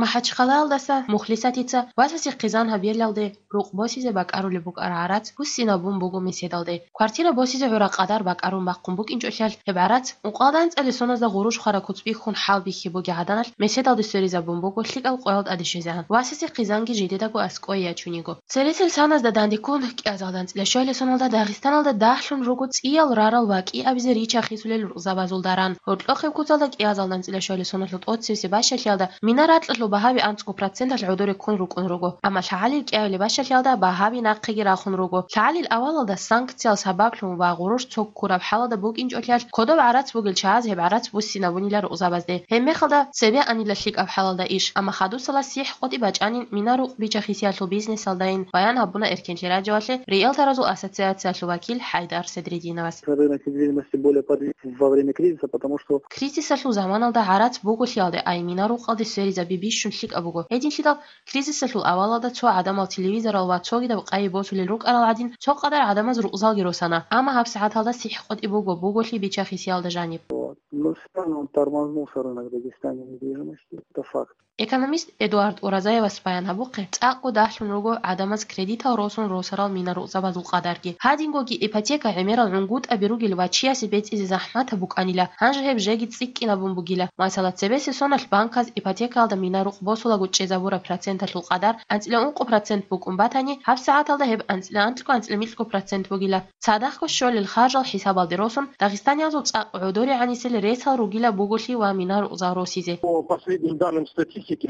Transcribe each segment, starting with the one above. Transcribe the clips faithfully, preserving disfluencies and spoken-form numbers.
МахӀачхъалаялдаса Мухлисатица васасе хъизан гьабиялалде рукъ босизе бакӀарулеб букӀараб гӀарац буссинабун буго меседалде. Квартира босизе гӀураб къадар бакӀарун бахъун букӀинчӀолъиялъ, гьеб гӀарац ункъоялда анцӀила соназда гъурущ хвараб куц бихьун хӀалбихьи бугеб гӀаданалъ меседалде сверизабун буго лъикӀаб къоялда тӀаде щвезегӀан. Васасе хъизанги жидедаго аскӀове ячунего. Цересел саназда дандеккун, кӀиазалда анцӀила щуялъе соналда Дагъистаналда дагьлъун руго цӀиял рарал ва кӀиабизе рича-хисулел рукъзабазул даран. Гьоркьохъеб куцалда кӀиазалда анцӀила щуялъе соналъул тӀоцевесеб бащалъиялда мина ракьалъул багьаби анцӀго проценталъ гӀодоре ккун рукӀун руго. Амма лъагӀалил кӀиабилеб бащалъиялда багьаби нахъеги рахун руго. ЛъагӀалил авалалда санкциял сабаблъун ва гъурущ цо ккураб хӀалалда букӀинчӀолъиялъ, кодоб гӀарац бугел чагӀаз гьеб гӀарац буссинабунила рукъзабазде. Гьеб мехалда цебе анила лъикӀаб хӀалалда иш, амма хадусала сихӀ къотӀи бачӀанин мина рукъ бича-хисиялъул бизнесалдайин, баян гьабуна Эркенлъи радиоялъе риэлторазул ассоциациялъул вакил ХӀайдар Седрединовас. Рынок недвижимости более подвижен во время кризиса, потому что Кризисалъул заманалда гӀарац буголъиялде ай мина рукъалде сверизаби бищун лъикӀаб буго. Гьединлъидал кризисалъул авалалда цо гӀадамал телевизорал ва цогидаб къайи босулел рукӀарал гӀадин, цо къадар гӀадамаз рукъзалги росана. Амма гьабсагӀаталда сихӀ къотӀи буго буголъи бича-хисиялда жаниб. Вот. Но всё равно он тормознулся рынок Дагестане недвижимости. Это факт. Экономист Эдуард Уразаевас баян гьабухъе, цӀакъго дагьлъун руго гӀадамаз кредитал росун росарал мина рукъзабазул къадарги. Гьадингоги ипотека гӀемерал гӀунгутӀаби ругел ва чиясе бецӀизе захӀматаб букӀанила, гьанже гьеб жеги цӀикӀкӀинабун бугила. Масала, цебесеб соналъ банказ ипотекаялда мина рукъ босулаго чӀезабураб проценталъул къадар анцӀила ункъо процент букӀун батани, гьабсагӀаталда гьеб анцӀила анкьго-анцӀила микьго процент бугила. Цадахъго щолел харжал хӀисабалде росун, дагъистаниязул цӀакъ гӀодоригӀанисел ресал ругила буголъи ва мина рукъзал росизе. По последним данным статистики,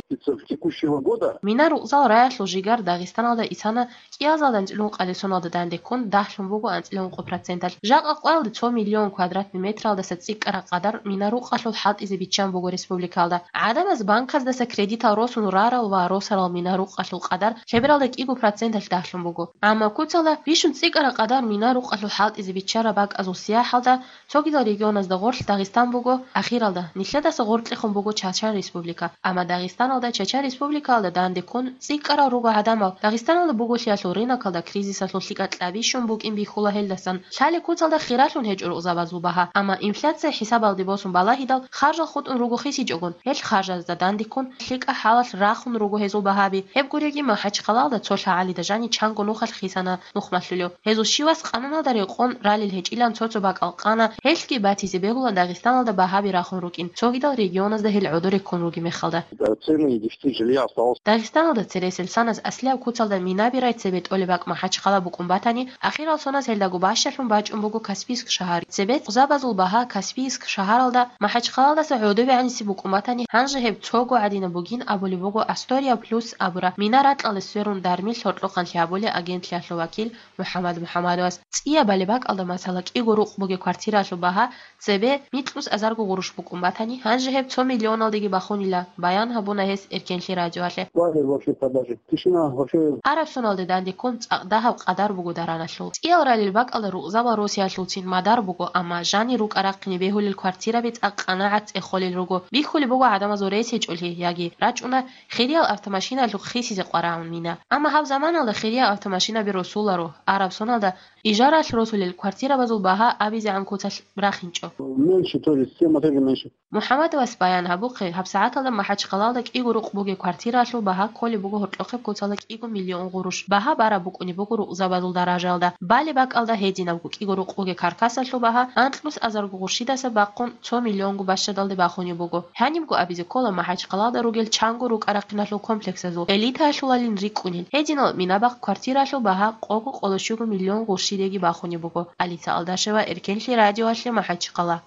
текущего года. Мина рукъзал раялъул жигар Дагъистаналда исана кӀиазалда анцӀила ункъалде соналда дандеккун дагьлъун буго анцӀила ункъо проценталъ. Жакъа къоялда цо миллион квадратный метралдаса цӀикӀкӀараб къадар мина рукъалъул хӀалтӀизе биччан буго республикалда. ГӀадамаз банказдаса кредитал росун рарал ва росарал мина рукъалъул къадар лъебералда кӀиго проценталъ дагьлъун буго. Амма куцалда бищун цӀикӀкӀараб къадар мина рукъалъул хӀалтӀизе биччараб бакӀазул сияхӀалда цогидал регионазда гъорлъ Дагъистан буго ахиралда, нилъедаса гъоркьехун буго Чача Республика. Амма Дагъистаналда, Чача Республикаялда дандеккун цӀикӀкӀарал руго гӀадамал, Дагъистаналда буголъиялъул рынокалда кризисалъул лъикӀаб кьаби щун букӀин бихьула гьелдасан. Лъалеб куцалда хиралъун гьечӀо рукъзабазул багьа, амма инфляция хӀисабалде босун балагьидал, харжал хутӀун руго хисичӀогун, гьел харжазда дандеккун лъикӀаб хӀалалъ рахун руго гьезул багьаби. Гьеб гуреги, МахӀачхъалаялда цо лъагӀалида жаниб чанго нухалъ хисана нухмалъулев. Гьезул щивас къануналда рекъон ралел гьечӀилан цо-цо бакӀал къана, гьелъги батизе бегьула Дагъистаналда багьаби рахун рукӀин, цогидал регионазда гьел гӀодоре ккун ругеб мехалда. Цены и дефицит жилья остался. Дагъистаналда цересел саназ аслияб куцалда минаби рай цебе тӀолеб бакӀ МахӀачхъала букӀун батани, ахирал соназ гьелдаго бащалъун бачӀун буго Каспийск шагьар. Цебе рукъзабазул багьа Каспийск шагьаралда МахӀачхъалаялдаса гӀодобегӀанисе букӀун батани, гьанже гьеб цого гӀадинаб бугин абулеб буго Астория Плюс абураб мина ракьалде сверун дармил гьоркьохъанлъи гьабулеб агентлъиялъул вакил МухӀаммад МухӀаммадовас. ЦӀиябали бакӀалда, масала, кӀиго рукъ бугеб квартираялъул багьа цебе микьус азарго гъурущ букӀун батани, гьанже гьеб цо миллионалдеги бахунила, баян гьабуна гьес Эркенлъи радиоялъе. Вале вообще продажи. Тишина вообще. Араб соналде дандеккун цӀакъ дагьаб къадар буго дараналъул. ЦӀиял ралел бакӀалда рукъзабал росиялъулцин мадар буго, амма жанир рукӀа-рахъине бегьулел квартираби цӀакъ къанагӀат цӀехолел руго. Бихьулеб буго гӀадамазул рес гьечӀолъи, яги рачӀуна хириял автомашинаялъухъ хисизе къварагӀун мина. Амма гьаб заманалда хириял автомашинаби росуларо, араб соналда ижаралъ росулел квартирабазул багьа абизегӀан куцалъ рахинчӀо. Меньше, то есть, семь отелей меньше. МухӀаммадовас баян гьабухъе, гьабсагӀаталда МахӀачхъалаялда кӀиго рукъ бугеб квартираялъул багьа кколеб буго гьоркьохъеб куцалда кӀиго миллион гъурущ. Багьа бараб букӀунеб буго рукъзабазул даражаялда. Балеб бакӀалда гьединабго кӀиго рукъ бугеб каркасалъул багьа анкьнус азарго гъурщидаса бахъун цо миллионго бащадалде бахунеб буго. Гьанибго абизе ккола МахӀачхъалаялда ругел чанго рукӀа-рахъиналъул комплексазул элитаялъулалин рикӀкӀунел. Гьединал мина-бахъ квартираялъул багьа къого-къоло щуго миллион гъурщидеги бахунеб буго. Алиса Алдашева, Эркенлъи радиоялъе, МахӀачхъала.